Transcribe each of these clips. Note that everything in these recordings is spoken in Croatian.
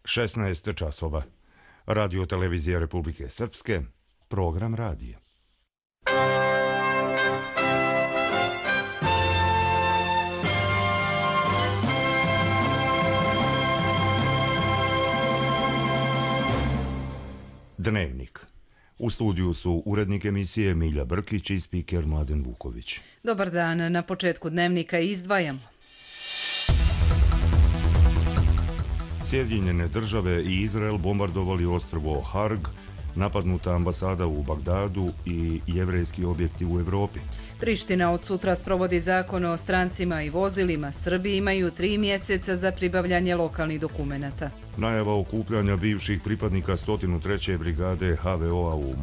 16 časova. Radio televizija Republike Srpske, program radija. Dnevnik. U studiju su urednik emisije Milja Brkić i spiker Mladen Vuković. Dobar dan, na početku dnevnika izdvajamo. Sjedinjene države i Izrael bombardovali ostrvo Harg, napadnuta ambasada u Bagdadu i jevrejski objekti u Evropi. Priština od sutra sprovodi zakon o strancima i vozilima. Srbi imaju 3 mjeseca za pribavljanje lokalnih dokumenata. Najava okupljanja bivših pripadnika 103. brigade HVO-a u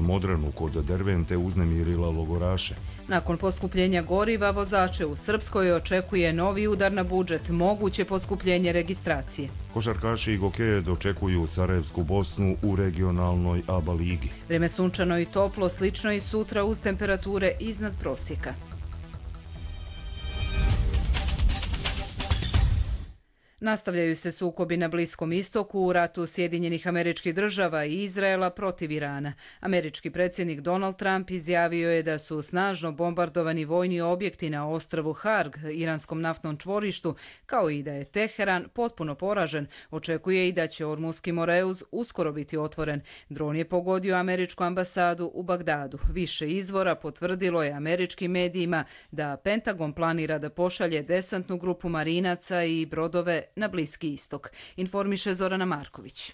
Modranu kod Dervente uznemirila logoraše. Nakon poskupljenja goriva, vozače u Srpskoj očekuje novi udar na budžet, moguće poskupljenje registracije. Košarkaši i gokeje dočekuju Sarajevsku Bosnu u regionalnoj ABA ligi. Vreme sunčano i toplo, slično i sutra uz temperature iznad prosjeka. Nastavljaju se sukobi na Bliskom istoku u ratu Sjedinjenih Američkih Država i Izraela protiv Irana. Američki predsjednik Donald Trump izjavio je da su snažno bombardovani vojni objekti na ostrvu Harg, iranskom naftnom čvorištu, kao i da je Teheran potpuno poražen. Očekuje i da će Ormuski Moreuz uskoro biti otvoren. Dron je pogodio američku ambasadu u Bagdadu. Više izvora potvrdilo je američkim medijima da Pentagon planira da pošalje desantnu grupu marinaca i brodove na Bliski istok, informiše Zorana Marković.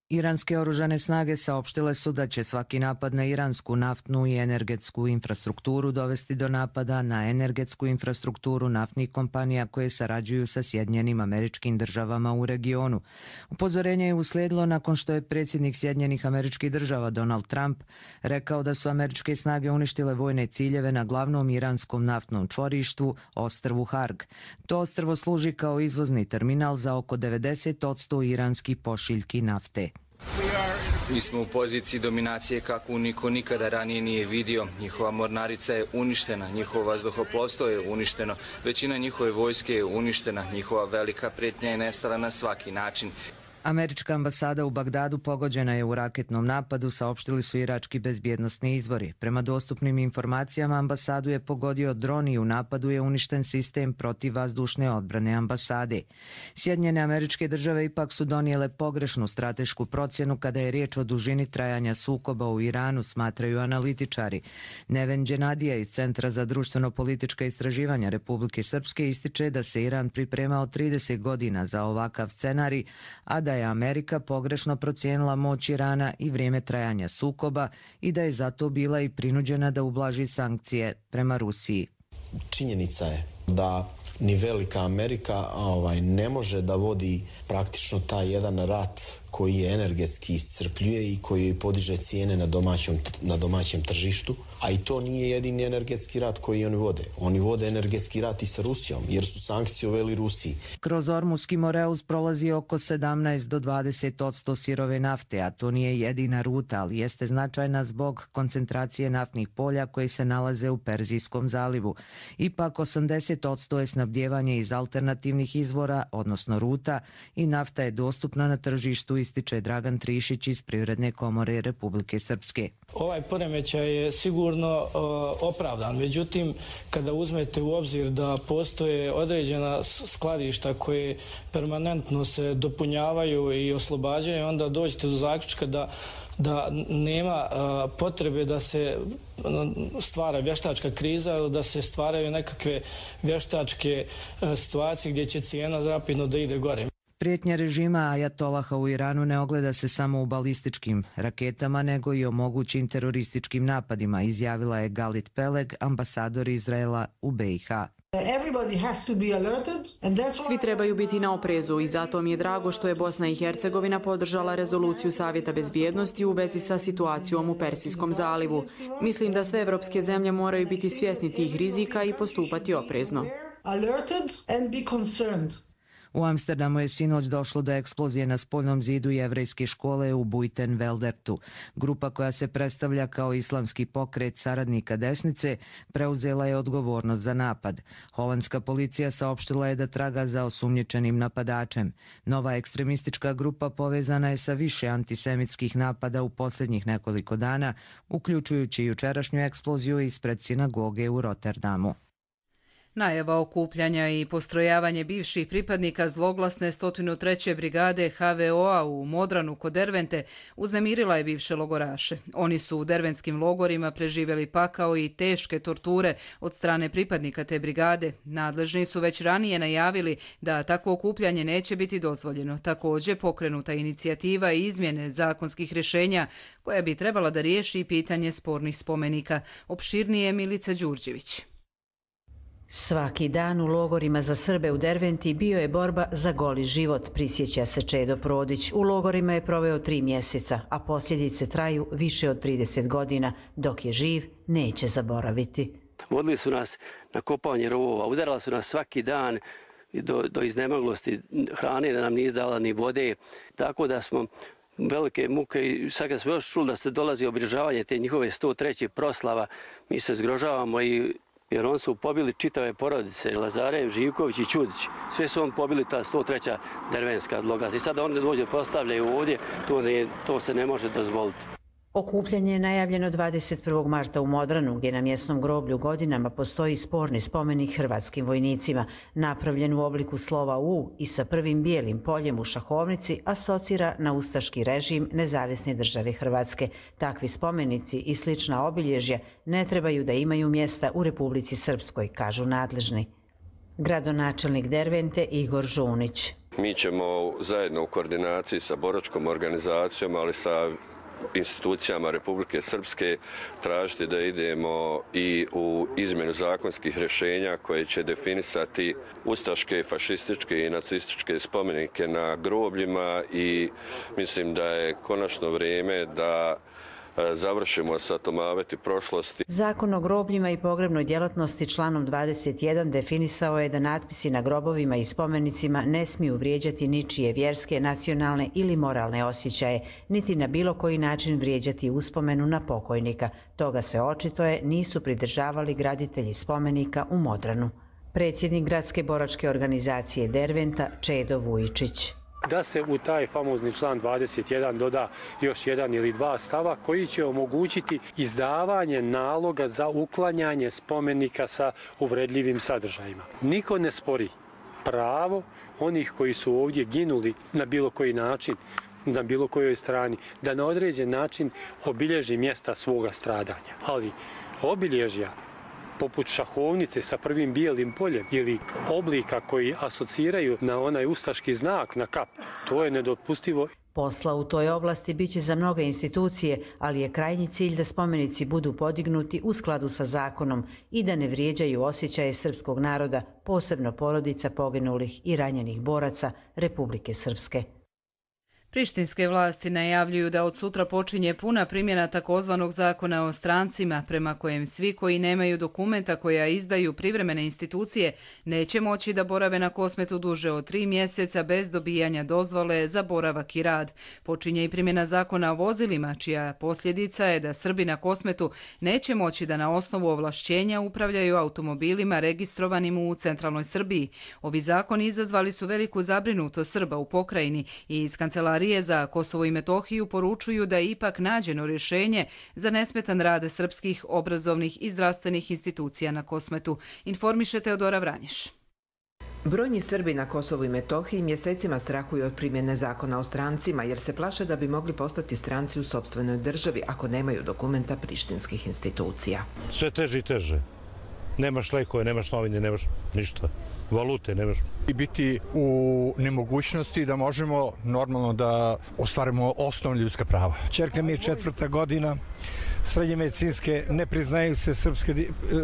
Iranske oružane snage saopštile su da će svaki napad na iransku naftnu i energetsku infrastrukturu dovesti do napada na energetsku infrastrukturu naftnih kompanija koje sarađuju sa Sjedinjenim Američkim Državama u regionu. Upozorenje je uslijedilo nakon što je predsjednik Sjedinjenih Američkih Država Donald Trump rekao da su američke snage uništile vojne ciljeve na glavnom iranskom naftnom čvorištu, ostrvu Harg. To ostrvo služi kao izvozni terminal za oko 90% iranskih pošiljki nafte. Mi smo u poziciji dominacije kakvu niko nikada ranije nije vidio. Njihova mornarica je uništena, njihovo vazduhoplovstvo je uništeno, većina njihove vojske je uništena, njihova velika prijetnja je nestala na svaki način. Američka ambasada u Bagdadu pogođena je u raketnom napadu, saopštili su irački bezbjednosni izvori. Prema dostupnim informacijama, ambasadu je pogodio dron i u napadu je uništen sistem protivvazdušne odbrane ambasade. Sjedinjene Američke Države ipak su donijele pogrešnu stratešku procjenu kada je riječ o dužini trajanja sukoba u Iranu, smatraju analitičari. Neven Dženadija iz Centra za društveno-politička istraživanja Republike Srpske ističe da se Iran pripremao 30 godina za ovakav scenarij, a da je Amerika pogrešno procijenila moć Irana i vrijeme trajanja sukoba i da je zato bila i prinuđena da ublaži sankcije prema Rusiji. Činjenica je da ni velika Amerika ne može da vodi praktično taj jedan rat koji je energetski iscrpljuje i koji podiže cijene na domaćem tržištu, a i to nije jedini energetski rat koji oni vode. Oni vode energetski rat i sa Rusijom, jer su sankcije uveli Rusiji. Kroz Ormuski Moreuz prolazi oko 17 do 20% sirove nafte, a to nije jedina ruta, ali jeste značajna zbog koncentracije naftnih polja koji se nalaze u Perzijskom zalivu. Ipak 80% je snabdijevanje iz alternativnih izvora, odnosno ruta, i nafta je dostupna na tržištu, ističe Dragan Trišić iz Privredne komore Republike Srpske. Ovaj poremećaj je sigurno opravdan, međutim, kada uzmete u obzir da postoje određena skladišta koje permanentno se dopunjavaju i oslobađaju, onda dođete do zaključka da nema potrebe da se stvara vještačka kriza, da se stvaraju nekakve vještačke situacije gdje će cijena rapidno da ide gore. Prijetnja režima Ajatolaha u Iranu ne ogleda se samo u balističkim raketama, nego i o mogućim terorističkim napadima, izjavila je Galit Peleg, ambasador Izraela u BiH. Svi trebaju biti na oprezu i zato mi je drago što je Bosna i Hercegovina podržala rezoluciju Savjeta bezbjednosti u vezi sa situacijom u Persijskom zalivu. Mislim da sve evropske zemlje moraju biti svjesni tih rizika i postupati oprezno. U Amsterdamu je sinoć došlo do eksplozije na spoljnom zidu jevrejske škole u Buitenveldertu. Grupa koja se predstavlja kao islamski pokret saradnika desnice preuzela je odgovornost za napad. Holandska policija saopštila je da traga za osumnjičenim napadačem. Nova ekstremistička grupa povezana je sa više antisemitskih napada u posljednjih nekoliko dana, uključujući jučerašnju eksploziju ispred sinagoge u Rotterdamu. Najava okupljanja i postrojavanje bivših pripadnika zloglasne 103. brigade HVO-a u Modranu kod Dervente uznemirila je bivše logoraše. Oni su u derventskim logorima preživjeli pakao i teške torture od strane pripadnika te brigade. Nadležni su već ranije najavili da takvo okupljanje neće biti dozvoljeno. Također pokrenuta inicijativa i izmjene zakonskih rješenja koja bi trebala da riješi pitanje spornih spomenika. Opširnije Milica Đurđević. Svaki dan u logorima za Srbe u Derventi bio je borba za goli život, prisjeća se Čedo Prodić. U logorima je proveo 3 mjeseca, a posljedice traju više od 30 godina. Dok je živ, neće zaboraviti. Vodili su nas na kopanje rovova, udarali su nas svaki dan do iznemoglosti, hrane nam nije izdala ni vode, tako da smo velike muke i sad kad smo još čuli da se dolazi obilježavanje te njihove 103. proslava, mi se zgrožavamo jer oni su pobili čitave porodice, Lazarev, Živković i Čudić. Sve su oni pobili ta 103. dervenska logora. I sada oni dođe postavljaju ovdje, to se ne može dozvoliti. Okupljanje je najavljeno 21. marta u Modranu, gdje na mjesnom groblju godinama postoji sporni spomenik hrvatskim vojnicima, napravljen u obliku slova U i sa prvim bijelim poljem u šahovnici, asocira na ustaški režim Nezavisne države Hrvatske. Takvi spomenici i slična obilježja ne trebaju da imaju mjesta u Republici Srpskoj, kažu nadležni. Gradonačelnik Dervente Igor Žunić. Mi ćemo zajedno u koordinaciji sa boračkom organizacijom, ali sa institucijama Republike Srpske tražiti da idemo i u izmjenu zakonskih rješenja koje će definisati ustaške, fašističke i nacističke spomenike na grobljima i mislim da je konačno vrijeme da završimo sa tomaveti prošlosti. Zakon o grobljima i pogrebnoj djelatnosti članom 21 definisao je da natpisi na grobovima i spomenicima ne smiju vrijeđati ničije vjerske, nacionalne ili moralne osjećaje, niti na bilo koji način vrijeđati uspomenu na pokojnika. Toga se očito nisu pridržavali graditelji spomenika u Modranu. Predsjednik gradske boračke organizacije Derventa Čedo Vujičić. Da se u taj famozni član 21 doda još jedan ili dva stava koji će omogućiti izdavanje naloga za uklanjanje spomenika sa uvredljivim sadržajima. Niko ne spori pravo onih koji su ovdje ginuli na bilo koji način, na bilo kojoj strani, da na određen način obilježi mjesta svoga stradanja. Ali obilježja poput šahovnice sa prvim bijelim poljem ili oblika koji asociraju na onaj ustaški znak na kap, to je nedopustivo. Posla u toj oblasti biće za mnoge institucije, ali je krajnji cilj da spomenici budu podignuti u skladu sa zakonom i da ne vrijeđaju osjećaje srpskog naroda, posebno porodica poginulih i ranjenih boraca Republike Srpske. Prištinske vlasti najavljuju da od sutra počinje puna primjena takozvanog zakona o strancima, prema kojem svi koji nemaju dokumenta koja izdaju privremene institucije neće moći da borave na Kosmetu duže od 3 mjeseca bez dobijanja dozvole za boravak i rad. Počinje i primjena zakona o vozilima, čija posljedica je da Srbi na Kosmetu neće moći da na osnovu ovlašćenja upravljaju automobilima registrovanim u centralnoj Srbiji. Ovi zakoni izazvali su veliku zabrinutost Srba u pokrajini i iz kancelarije za Kosovo i Metohiju poručuju da je ipak nađeno rješenje za nesmetan rad srpskih obrazovnih i zdravstvenih institucija na Kosmetu, informiše Teodora Vranješ. Brojni Srbi na Kosovu i Metohiji mjesecima strahuju od primjene zakona o strancima jer se plaše da bi mogli postati stranci u sopstvenoj državi ako nemaju dokumenta prištinskih institucija. Sve teže i teže. Nemaš lekove, nemaš novine, nemaš ništa. Valute nemaš. I biti u nemogućnosti da možemo normalno da ostvarimo osnovne ljudska prava. Čerka mi je 4. godina, srednje medicinske, ne priznaju se srpske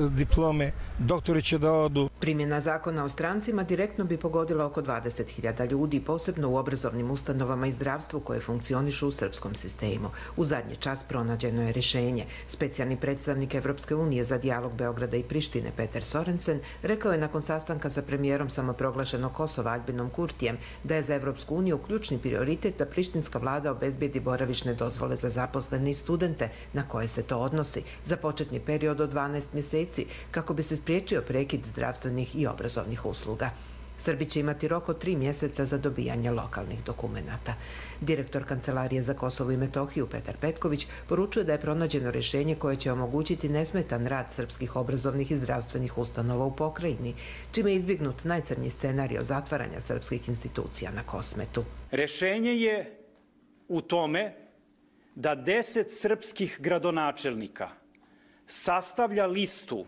diplome, doktori će da odu. Primjena zakona o strancima direktno bi pogodila oko 20.000 ljudi, posebno u obrazovnim ustanovama i zdravstvu koje funkcionišu u srpskom sistemu. U zadnji čas pronađeno je rješenje. Specijalni predstavnik Evropske unije za dijalog Beograda i Prištine Peter Sorensen rekao je nakon sastanka sa premijerom samoproglašenog Kosova Albinom Kurtijem da je za Evropsku uniju ključni prioritet da prištinska vlada obezbijedi boravišne dozvole za zaposlene i studente na koje se to odnosi za početni period od 12 mjeseci kako bi se spriječio prekid zdravstvenih i obrazovnih usluga. Srbi će imati rok od 3 mjeseca za dobijanje lokalnih dokumenata. Direktor Kancelarije za Kosovo i Metohiju Petar Petković poručuje da je pronađeno rješenje koje će omogućiti nesmetan rad srpskih obrazovnih i zdravstvenih ustanova u pokrajini, čime je izbjegnut najcrnji scenario zatvaranja srpskih institucija na Kosmetu. Rješenje je u tome da 10 srpskih gradonačelnika sastavlja listu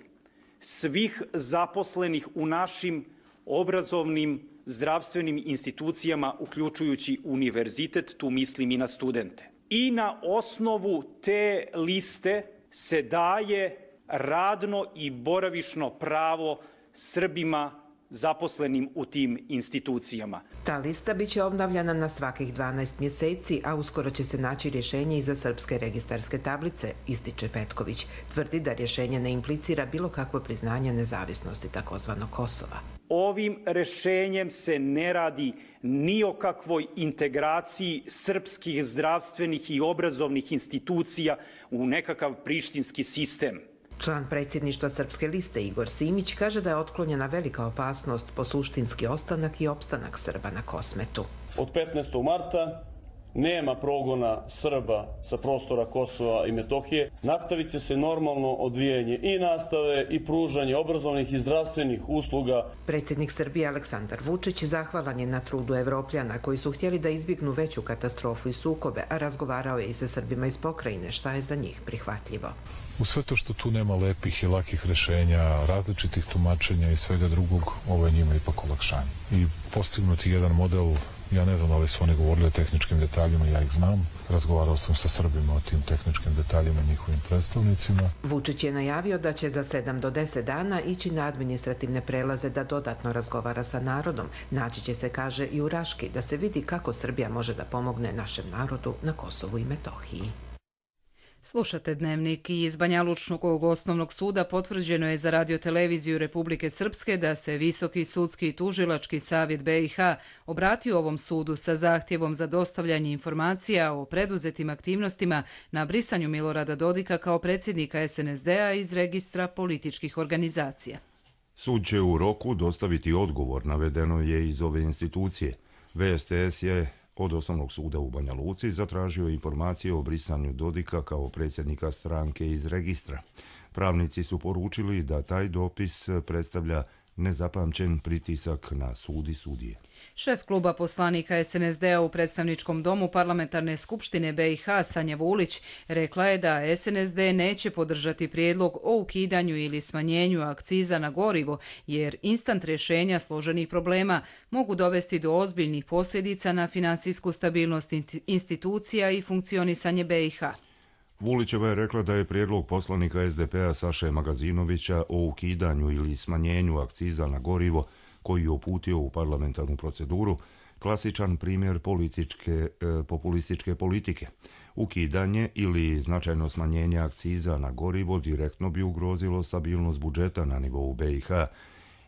svih zaposlenih u našim obrazovnim zdravstvenim institucijama, uključujući univerzitet, tu mislim i na studente. I na osnovu te liste se daje radno i boravišno pravo Srbima zaposlenim u tim institucijama. Ta lista biće obnavljana na svakih 12 mjeseci, a uskoro će se naći rješenje i za srpske registarske tablice, ističe Petković. Tvrdi da rješenje ne implicira bilo kakvo priznanje nezavisnosti takozvanog Kosova. Ovim rješenjem se ne radi ni o kakvoj integraciji srpskih zdravstvenih i obrazovnih institucija u nekakav prištinski sistem. Član predsjedništva Srpske liste Igor Simić kaže da je otklonjena velika opasnost po suštinski ostanak i opstanak Srba na Kosmetu. Od 15. marta nema progona Srba sa prostora Kosova i Metohije. Nastavit će se normalno odvijanje i nastave i pružanje obrazovnih i zdravstvenih usluga. Predsjednik Srbije Aleksandar Vučić zahvalan je na trudu Evropljana koji su htjeli da izbjegnu veću katastrofu i sukobe, a razgovarao je i sa Srbima iz pokrajine, šta je za njih prihvatljivo. U sve to što tu nema lepih i lakih rješenja, različitih tumačenja i svega drugog, ovo je njima ipak olakšanje. I postignuti jedan model, ja ne znam da li su oni govorili o tehničkim detaljima, ja ih znam. Razgovarao sam sa Srbima o tim tehničkim detaljima i njihovim predstavnicima. Vučić je najavio da će za 7 do 10 dana ići na administrativne prelaze da dodatno razgovara sa narodom. Naći će se, kaže, i u Raški, da se vidi kako Srbija može da pomogne našem narodu na Kosovu i Metohiji. Slušate Dnevnik. Iz Banja Lučnog osnovnog suda potvrđeno je za radioteleviziju Republike Srpske da se Visoki sudski i tužilački savjet BiH obratio ovom sudu sa zahtjevom za dostavljanje informacija o preduzetim aktivnostima na brisanju Milorada Dodika kao predsjednika SNSD-a iz registra političkih organizacija. Sud će u roku dostaviti odgovor, navedeno je iz ove institucije. VSTS je od Osnovnog suda u Banja Luci zatražio informacije o brisanju Dodika kao predsjednika stranke iz registra. Pravnici su poručili da taj dopis predstavlja nezapamćen pritisak na sud i sudije. Šef kluba poslanika SNSD-a u predstavničkom domu Parlamentarne skupštine BiH Sanja Vulić rekla je da SNSD neće podržati prijedlog o ukidanju ili smanjenju akciza na gorivo, jer instant rješenja složenih problema mogu dovesti do ozbiljnih posljedica na finansijsku stabilnost institucija i funkcionisanje BiH. Vulićeva je rekla da je prijedlog poslanika SDP-a Saše Magazinovića o ukidanju ili smanjenju akciza na gorivo koji je uputio u parlamentarnu proceduru klasičan primjer populističke politike. Ukidanje ili značajno smanjenje akciza na gorivo direktno bi ugrozilo stabilnost budžeta na nivou BiH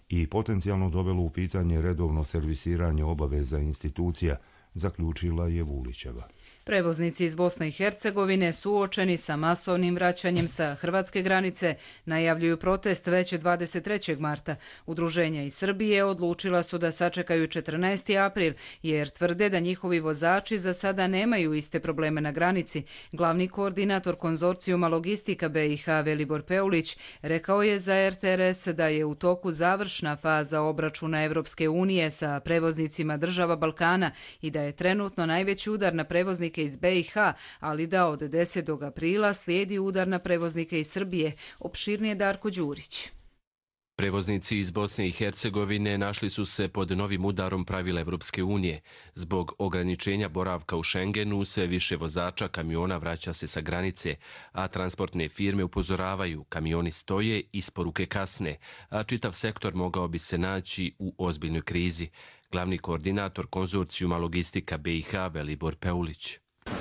i potencijalno dovelo u pitanje redovno servisiranje obaveza institucija, zaključila je Vulićeva. Prevoznici iz Bosne i Hercegovine suočeni sa masovnim vraćanjem sa hrvatske granice najavljuju protest već 23. marta. Udruženja iz Srbije odlučila su da sačekaju 14. april jer tvrde da njihovi vozači za sada nemaju iste probleme na granici. Glavni koordinator konzorcijuma Logistika BiH Velibor Peulić rekao je za RTRS da je u toku završna faza obračuna Evropske unije sa prevoznicima država Balkana i da je trenutno najveći udar na prevoznike iz BiH, ali da od 10. aprila slijedi udar na prevoznike iz Srbije. Opširnije Darko Đurić. Prevoznici iz Bosne i Hercegovine našli su se pod novim udarom pravila Evropske unije. Zbog ograničenja boravka u Schengenu sve više vozača kamiona vraća se sa granice, a transportne firme upozoravaju, kamioni stoje, isporuke kasne, a čitav sektor mogao bi se naći u ozbiljnoj krizi. Glavni koordinator konzorcijuma Logistika BiH Velibor Peulić.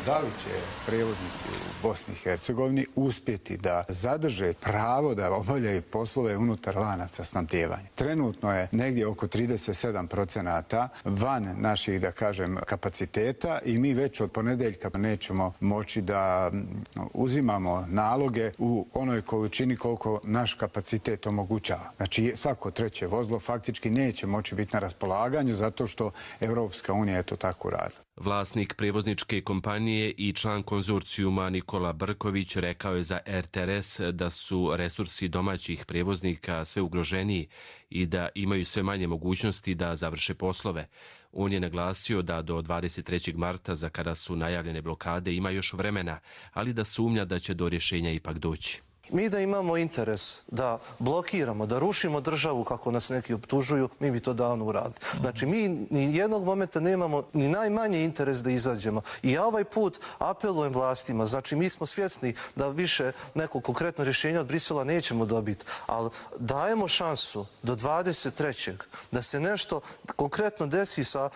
Da li će prevoznici u Bosni i Hercegovini uspjeti da zadrže pravo da obavljaju poslove unutar lanaca snabdijevanja? Trenutno je negdje oko 37% van naših, da kažem, kapaciteta i mi već od ponedeljka nećemo moći da uzimamo naloge u onoj količini koliko naš kapacitet omogućava. Znači svako treće vozilo faktički neće moći biti na raspolaganju zato što Evropska unija je to tako uradila. Vlasnik prevozničke kompanije i član konzorcijuma Nikola Brković rekao je za RTRS da su resursi domaćih prevoznika sve ugroženiji i da imaju sve manje mogućnosti da završe poslove. On je naglasio da do 23. marta, za kada su najavljene blokade, ima još vremena, ali da sumnja da će do rješenja ipak doći. Mi da imamo interes da blokiramo, da rušimo državu kako nas neki optužuju, mi bi to davno uradili. Znači, mi ni jednog momenta nemamo ni najmanji interes da izađemo. I ja ovaj put apelujem vlastima, znači mi smo svjesni da više neko konkretno rješenje od Brisela nećemo dobiti, ali dajemo šansu do 23. da se nešto konkretno desi sa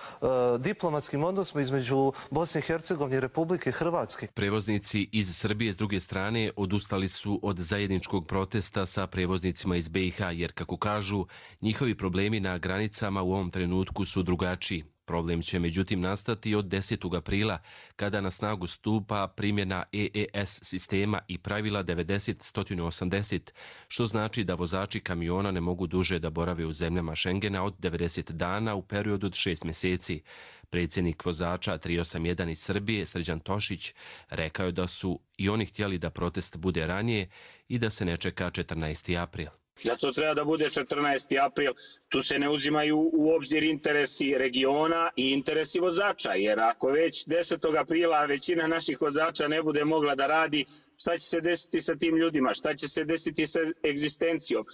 diplomatskim odnosima između Bosne i Hercegovine i Republike Hrvatske. Prevoznici iz Srbije s druge strane odustali su od zajedničkog protesta sa prevoznicima iz BiH, jer, kako kažu, njihovi problemi na granicama u ovom trenutku su drugačiji. Problem će međutim nastati od 10. aprila, kada na snagu stupa primjena EES sistema i pravila 90-180, što znači da vozači kamiona ne mogu duže da borave u zemljama Schengena od 90 dana u periodu od 6 mjeseci. Predsjednik vozača 381 iz Srbije, Srđan Tošić, rekao je da su i oni htjeli da protest bude ranije i da se ne čeka 14. april. Zato treba da bude 14. april. Tu se ne uzimaju u obzir interesi regiona i interesi vozača, jer ako već 10. aprila većina naših vozača ne bude mogla da radi, šta će se desiti sa tim ljudima, šta će se desiti sa egzistencijom?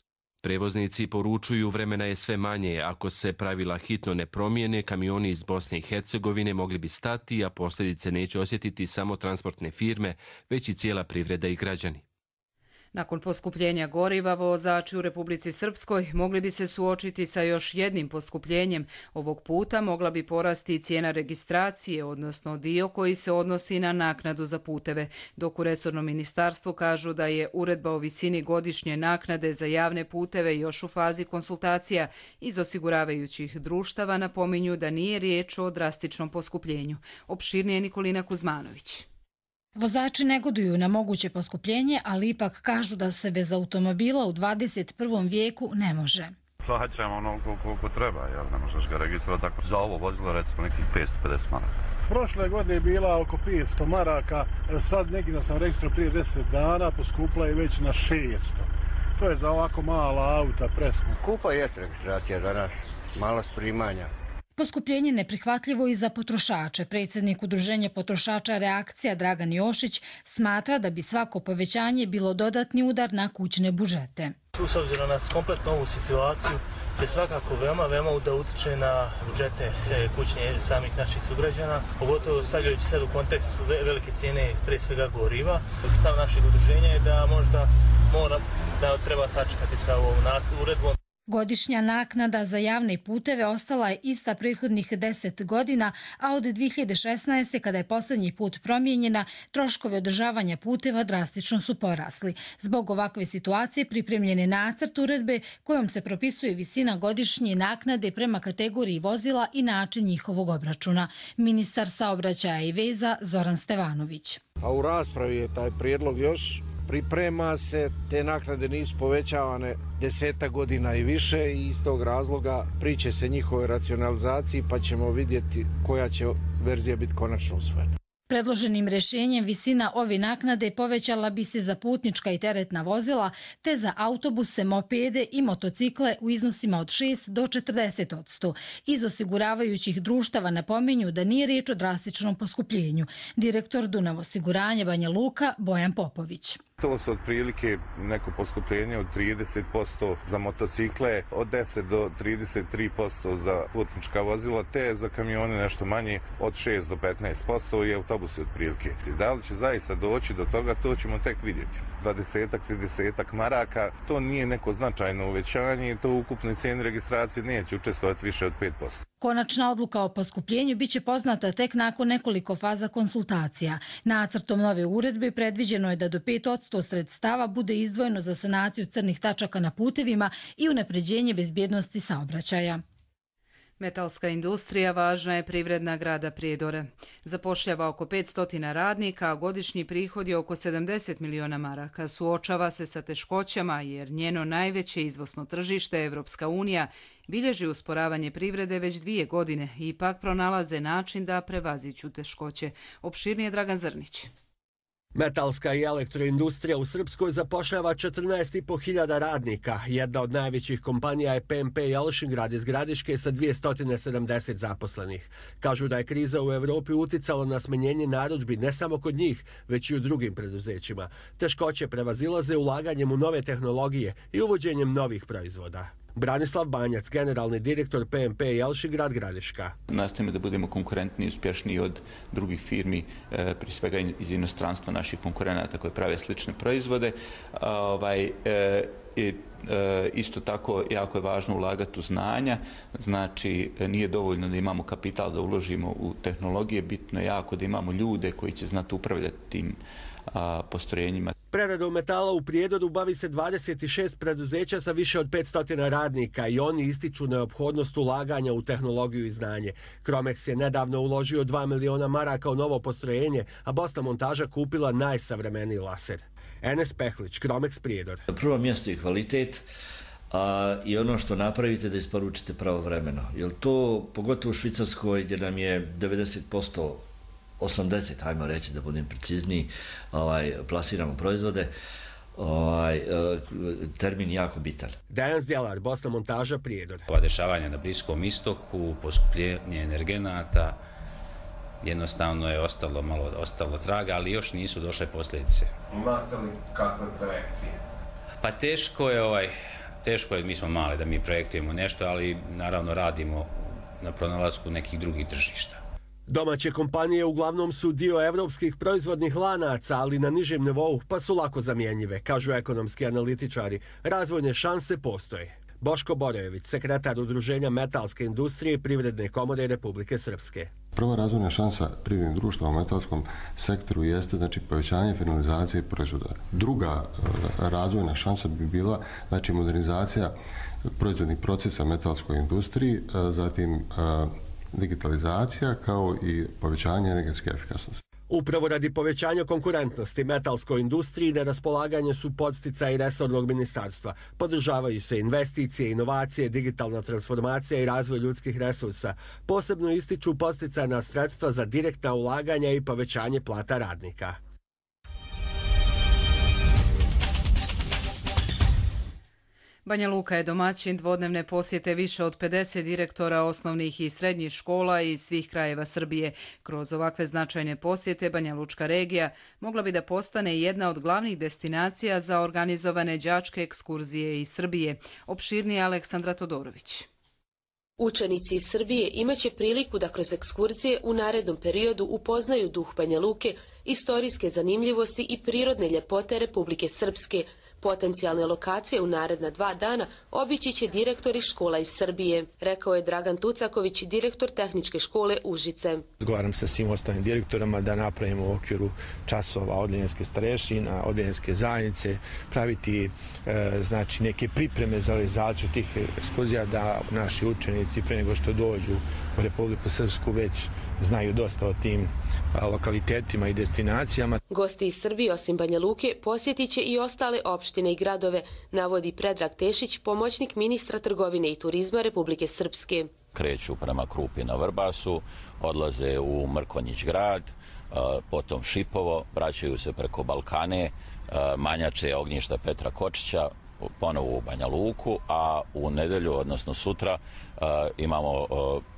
Prevoznici poručuju vremena je sve manje. Ako se pravila hitno ne promijene, kamioni iz Bosne i Hercegovine mogli bi stati, a posljedice neće osjetiti samo transportne firme, već i cijela privreda i građani. Nakon poskupljenja goriva, vozači u Republici Srpskoj mogli bi se suočiti sa još jednim poskupljenjem. Ovog puta mogla bi porasti i cijena registracije, odnosno dio koji se odnosi na naknadu za puteve, dok u resornom ministarstvu kažu da je uredba o visini godišnje naknade za javne puteve još u fazi konsultacija. Iz osiguravajućih društava napominju da nije riječ o drastičnom poskupljenju. Opširnije Nikolina Kuzmanović. Vozači negoduju na moguće poskupljenje, ali ipak kažu da se bez automobila u 21. vijeku ne može. Plaćamo onoliko koliko treba, jer ne možeš ga registrovati tako. Za ovo vozilo recimo nekih 550 maraka. Prošle godine je bila oko 500 maraka, sad neki da sam registrovao prije 10 dana, poskupla je već na 600. To je za ovako mala auta preskupo. Skupa je registracija za nas, malo primanja. Poskupljenje neprihvatljivo i za potrošače. Predsjednik Udruženja potrošača Reakcija Dragan Jošić smatra da bi svako povećanje bilo dodatni udar na kućne budžete. S obzirom na kompletnu ovu situaciju će svakako veoma da utiče na budžete kućne samih naših sugrađana, pogotovo stavljajući sad u kontekst velike cijene, prije svega goriva. Stav našeg udruženja je da možda treba sačekati sa ovom uredbom. Godišnja naknada za javne puteve ostala je ista prethodnih 10 godina, a od 2016. kada je posljednji put promijenjena, troškovi održavanja puteva drastično su porasli. Zbog ovakve situacije pripremljen je nacrt uredbe kojom se propisuje visina godišnje naknade prema kategoriji vozila i način njihovog obračuna. Ministar saobraćaja i veza Zoran Stevanović. A u raspravi je taj prijedlog još. Priprema se, te naknade nisu povećavane 10 godina i više i iz tog razloga priče se njihovoj racionalizaciji pa ćemo vidjeti koja će verzija biti konačno usvojena. Predloženim rješenjem visina ove naknade povećala bi se za putnička i teretna vozila te za autobuse, mopede i motocikle u iznosima od 6 do 40%. Iz osiguravajućih društava napominju da nije riječ o drastičnom poskupljenju. Direktor Dunav osiguranja Banja Luka Bojan Popović. To su otprilike neko poskupljenje od 30% za motocikle, od 10 do 33% za putnička vozila, te za kamione nešto manje od 6 do 15% i autobusi otprilike. Da li će zaista doći do toga, to ćemo tek vidjeti. 20-30 maraka, to nije neko značajno uvećanje i to u ukupnoj cijeni registracije neće učestvovati više od 5%. Konačna odluka o poskupljenju biće poznata tek nakon nekoliko faza konsultacija. Nacrtom nove uredbe predviđeno je da do 5% sredstava bude izdvojeno za sanaciju crnih tačaka na putevima i unapređenje bezbjednosti saobraćaja. Metalska industrija važna je privredna grada Prijedore. Zapošljava oko 500 radnika, a godišnji prihod je oko 70 miliona maraka. Suočava se sa teškoćama jer njeno najveće izvozno tržište, Evropska unija, bilježi usporavanje privrede već 2 godine i ipak pronalaze način da prevaziđu teškoće. Opširnije Dragan Zrnić. Metalska i elektroindustrija u Srpskoj zapošljava 14.500 radnika. Jedna od najvećih kompanija je PMP Jelšingrad iz Gradiške sa 270 zaposlenih. Kažu da je kriza u Evropi uticala na smanjenje narudžbi ne samo kod njih, već i u drugim preduzećima. Teškoće prevazilaze ulaganjem u nove tehnologije i uvođenjem novih proizvoda. Branislav Banjac, generalni direktor PMP Jelšingrad Gradiška. Nastojimo da budemo konkurentni i uspješniji od drugih firmi, prije svega iz inostranstva naših konkurenata koji prave slične proizvode. Isto tako jako je važno ulagati u znanja, znači nije dovoljno da imamo kapital da uložimo u tehnologije, bitno je jako da imamo ljude koji će znati upravljati tim postrojenjima. Preradom metala u Prijedoru bavi se 26 preduzeća sa više od 500 radnika i oni ističu neophodnost ulaganja u tehnologiju i znanje. Cromex je nedavno uložio 2 miliona maraka u novo postrojenje, a Bosna montaža kupila najsavremeniji laser. Enes Pehlić, Cromex Prijedor. Prvo mjesto je kvalitet i ono što napravite da isporučite pravovremeno. Jer to, pogotovo u Švicarskoj gdje nam je 90%, 80, hajmo reći da budem precizniji, plasiramo proizvode, termin jako bitan. Dejan Zdjelar, Bosna montaža Prijedor. Ova dešavanja na Bliskom istoku, poskupljenje energenata, jednostavno je ostalo traga, ali još nisu došle posljedice. Imate li kakve projekcije? Pa teško je, mi smo mali da mi projektujemo nešto, ali naravno radimo na pronalasku nekih drugih tržišta. Domaće kompanije uglavnom su dio evropskih proizvodnih lanaca, ali na nižem nivou, pa su lako zamjenjive, kažu ekonomski analitičari. Razvojne šanse postoje. Boško Borojević, sekretar Udruženja metalske industrije i Privredne komore Republike Srpske. Prva razvojna šansa privrednih društva u metalskom sektoru jeste povećanje finalizacije proizvoda. Druga razvojna šansa bi bila modernizacija proizvodnih procesa metalskoj industriji, zatim digitalizacija kao i povećanje energetske efikasnosti. Upravo radi povećanja konkurentnosti metalskoj industriji na raspolaganje su podsticaji resornog ministarstva. Podržavaju se investicije, inovacije, digitalna transformacija i razvoj ljudskih resursa. Posebno ističu podsticajna sredstva za direktna ulaganja i povećanje plata radnika. Banja Luka je domaćin dvodnevne posjete više od 50 direktora osnovnih i srednjih škola iz svih krajeva Srbije. Kroz ovakve značajne posjete Banja Lučka regija mogla bi da postane jedna od glavnih destinacija za organizovane đačke ekskurzije iz Srbije. Opširnije Aleksandra Todorović. Učenici iz Srbije imaće priliku da kroz ekskurzije u narednom periodu upoznaju duh Banja Luke, istorijske zanimljivosti i prirodne ljepote Republike Srpske. Potencijalne lokacije u naredna 2 dana obići će direktori škola iz Srbije, rekao je Dragan Tucaković, direktor tehničke škole Užice. Razgovaram sa svim ostalim direktorama da napravimo u okviru časova odeljenske starešina, odeljenske zajednice, praviti neke pripreme za realizaciju tih ekskurzija da naši učenici pre nego što dođu u Republiku Srpsku već znaju dosta o tim lokalitetima i destinacijama. Gosti iz Srbije osim Banja Luke posjetit će i ostale opštine i gradove, navodi Predrag Tešić, pomoćnik ministra trgovine i turizma Republike Srpske. Kreću prema Krupi na Vrbasu, odlaze u Mrkonjić grad, potom Šipovo, vraćaju se preko Balkane, Manjače, Ognjišta Petra Kočića, ponovo u Banja Luku, a u nedelju, odnosno sutra, imamo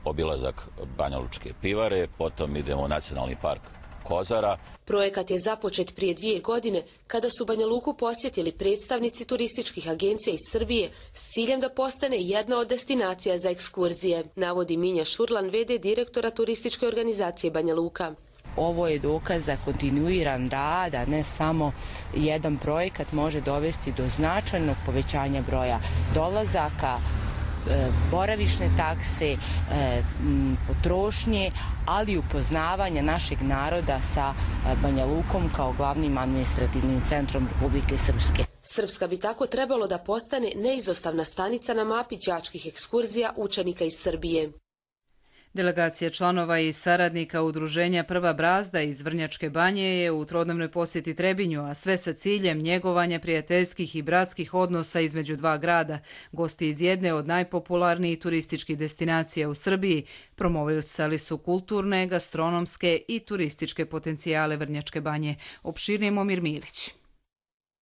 obilazak Banja Lučke pivare, potom idemo u Nacionalni park Kozara. Projekat je započet prije 2 godine kada su Banja Luku posjetili predstavnici turističkih agencija iz Srbije s ciljem da postane jedna od destinacija za ekskurzije, navodi Minja Šurlan, v.d. direktora turističke organizacije Banja Luka. Ovo je dokaz da kontinuiran rad, a ne samo jedan projekat, može dovesti do značajnog povećanja broja dolazaka, boravišne takse, potrošnje, ali i upoznavanja našeg naroda sa Banja Lukom kao glavnim administrativnim centrom Republike Srpske. Srpska bi tako trebalo da postane neizostavna stanica na mapi đačkih ekskurzija učenika iz Srbije. Delegacija članova i saradnika udruženja Prva brazda iz Vrnjačke Banje je u trodnevnoj posjeti Trebinju, a sve sa ciljem njegovanja prijateljskih i bratskih odnosa između dva grada. Gosti iz jedne od najpopularnijih turističkih destinacija u Srbiji promovisali su kulturne, gastronomske i turističke potencijale Vrnjačke Banje. Opširnije Momir Milić.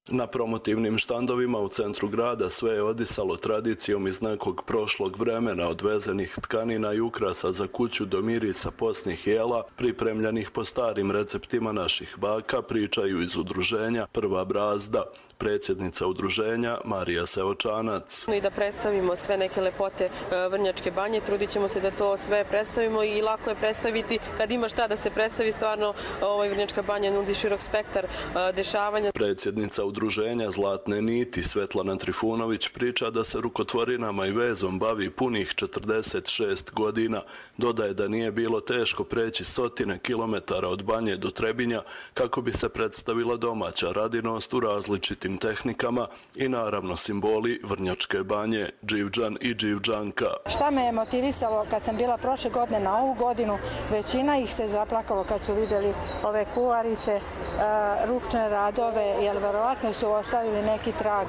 Na promotivnim štandovima u centru grada sve je odisalo tradicijom iz nekog prošlog vremena, od vezenih tkanina i ukrasa za kuću do mirisa posnih jela, pripremljenih po starim receptima naših baka, pričaju iz udruženja Prva brazda. Predsjednica udruženja Marija Seočanac. I da predstavimo sve neke lepote Vrnjačke Banje, trudit ćemo se da to sve predstavimo i lako je predstaviti kad ima šta da se predstavi. Stvarno Vrnjačka Banja nudi širok spektar dešavanja. Predsjednica udruženja Zlatne niti Svetlana Trifunović priča da se rukotvorinama i vezom bavi punih 46 godina. Dodaje da nije bilo teško preći 100 kilometara od Banje do Trebinja kako bi se predstavila domaća radinost u različitim tehnikama i naravno simboli Vrnjačke Banje, Dživđan i Dživđanka. Šta me je motivisalo kad sam bila prošle godine na ovu godinu, većina ih se zaplakalo kad su vidjeli ove kuvarice, ručne radove, jer verovatno su ostavili neki trag,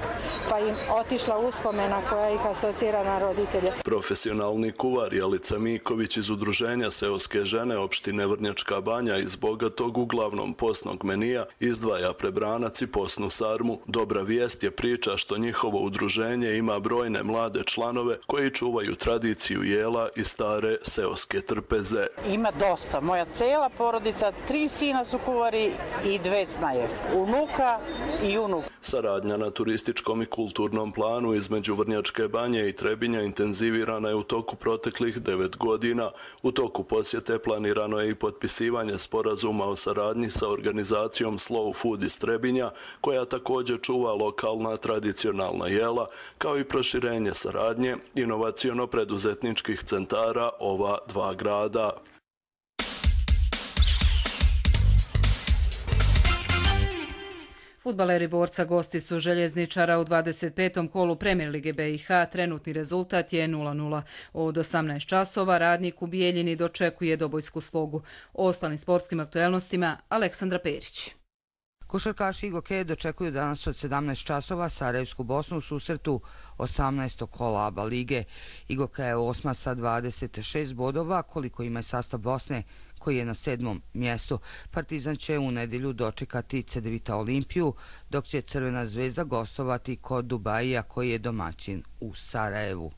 pa im otišla uspomena koja ih asocira na roditelje. Profesionalni kuvar Jelica Miković iz udruženja Seoske žene opštine Vrnjačka Banja iz bogatog uglavnom posnog menija izdvaja prebranac i posnu sarmu. Dobra vijest je priča što njihovo udruženje ima brojne mlade članove koji čuvaju tradiciju jela i stare seoske trpeze. Ima dosta. Moja cela porodica, 3 sina su kuvari i 2 snaje. Unuka i unuk. Saradnja na turističkom i kulturnom planu između Vrnjačke Banje i Trebinja intenzivirana je u toku proteklih 9 godina. U toku posjete planirano je i potpisivanje sporazuma o saradnji sa organizacijom Slow Food iz Trebinja, koja također čuva lokalna tradicionalna jela, kao i proširenje saradnje inovaciono-preduzetničkih centara ova dva grada. Fudbaleri Borca gosti su Željezničara u 25. kolu Premier lige BiH. Trenutni rezultat je 0:0. Od 18 časova Radnik u Bijeljini dočekuje Dobojsku Slogu. O ostalim sportskim aktuelnostima Aleksandra Perić. Košarkaši Igoke dočekuju danas od 17 časova Sarajevsku Bosnu u susretu 18. kola ABA lige. Igoka je 8. sa 26 bodova, koliko ima sastav Bosne, koji je na 7. mjestu. Partizan će u nedjelju dočekati Cedevita Olimpiju, dok će Crvena zvezda gostovati kod Dubajija, koji je domaćin u Sarajevu.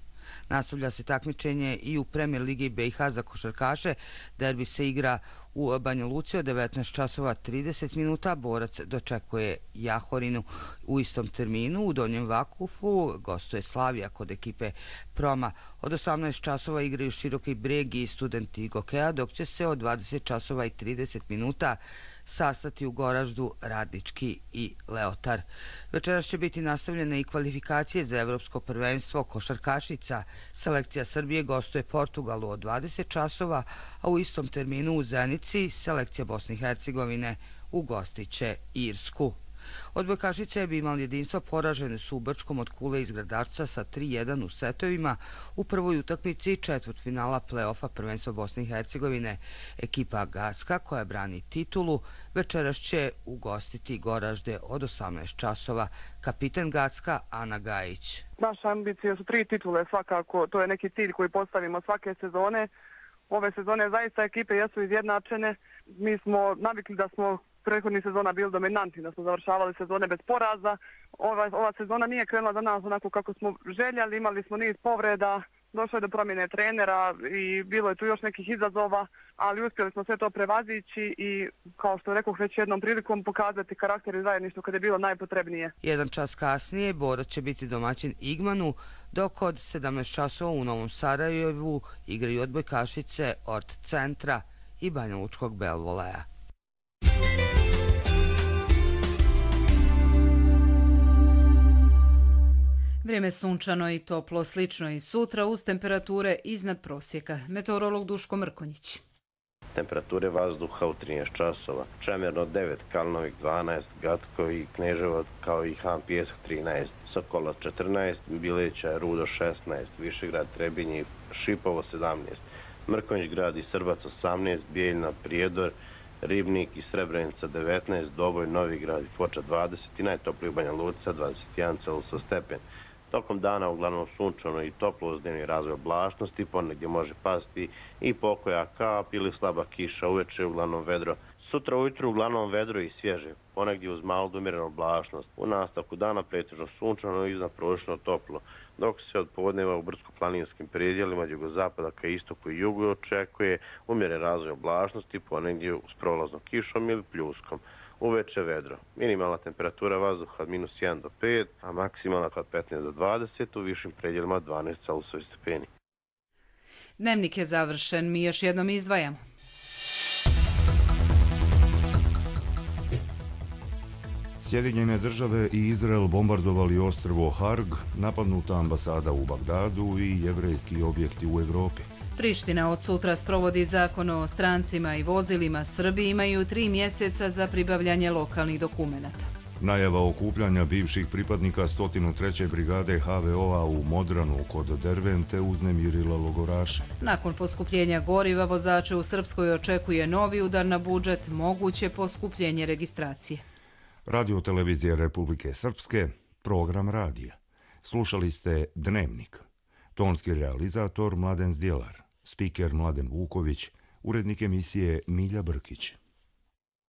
Nastavlja se takmičenje i u Premier ligi BiH za košarkaše. Derbi se igra u Banja Luci od 19 časova 30 minuta. Borac dočekuje Jahorinu u istom terminu. U Donjem Vakufu gostuje Slavija kod ekipe Proma. Od 18 časova igraju Široki Breg i Studenti Igokeja, dok će se od 20 časova i 30 minuta sastati u Goraždu Radnički i Leotar. Večeras će biti nastavljene i kvalifikacije za evropsko prvenstvo košarkašica. Selekcija Srbije gostuje Portugalu od 20 časova, a u istom terminu u Zenici selekcija Bosne i Hercegovine ugostiće Irsku. Odbojkašice bi imali jedinstvo, poražene su u Brčkom od Kule iz Gradačca sa 3:1 u setovima u prvoj utakmici četvrtfinala play-offa prvenstva Bosne i Hercegovine. Ekipa Gacka, koja brani titulu, večeras će ugostiti Goražde od 18 časova. Kapitan Gacka Ana Gajić. Naša ambicija su 3 titule svakako, to je neki cilj koji postavimo svake sezone. Ove sezone zaista ekipe jesu izjednačene. Mi smo navikli da smo prethodnih sezona bili dominanti, da smo završavali sezone bez poraza. Ova sezona nije krenula za nas onako kako smo željeli, imali smo niz povreda, došlo je do promjene trenera i bilo je tu još nekih izazova, ali uspjeli smo sve to prevazići i, kao što rekoh već jednom prilikom, pokazati karakter i zajedništvo kada je bilo najpotrebnije. Jedan čas kasnije Borac će biti domaćin Igmanu, dok od 17 časova u Novom Sarajevu igraju odbojkašice Ort Centra i Banjalučkog Belvoleja. Vrijeme sunčano i toplo, slično i sutra uz temperature iznad prosjeka. Meteorolog Duško Mrkonjić. Temperature vazduha u 13 časova. Čemerno 9, Kalnovik 12, Gatko i Kneževo kao i Han Pjesak 13, Sokola 14, Bileća, Rudo 16, Višegrad, Trebinje, Šipovo 17, Mrkonjić grad i Srbac 18, Bijeljna, Prijedor, Ribnik i Srebrenica 19, Doboj, Novigrad i Foča 20 i najtopliji u Banja Luka 21 Celzijusov stepen. Tokom dana uglavnom sunčano i toplo uz dnevni razvoj oblačnosti, ponegdje može pasti i pokoja kap ili slaba kiša, uveče uglavnom vedro. Sutra ujutru uglavnom vedro i svježe, ponegdje uz malu do umjerenu oblačnost. U nastavku dana pretežno sunčano i iznadprosječno toplo, dok se od podneva u brdsko-planinskim predjelima od jugozapada ka istoku i jugu očekuje umjeren razvoj oblačnosti, ponegdje s prolaznom kišom ili pljuskom. Uveče vedro. Minimalna temperatura vazduha od -1 do 5, a maksimalna od 15 do 20, u višim predjelima 12 Celzijusovih stepeni. Dnevnik je završen, mi još jednom izdvajamo. Sjedinjene države i Izrael bombardovali ostrvo Harg, napadnuta ambasada u Bagdadu i jevrejski objekti u Evropi. Priština od sutra sprovodi zakon o strancima i vozilima. Srbi imaju 3 mjeseca za pribavljanje lokalnih dokumenata. Najava okupljanja bivših pripadnika 103. brigade HVO-a u Modranu kod Dervente uznemirila logoraše. Nakon poskupljenja goriva vozače u Srpskoj očekuje novi udar na budžet, moguće poskupljenje registracije. Radio televizije Republike Srpske, program radija. Slušali ste Dnevnik. Tonski realizator Mladen Zdjelar, spiker Mladen Vuković, urednik emisije Milja Brkić.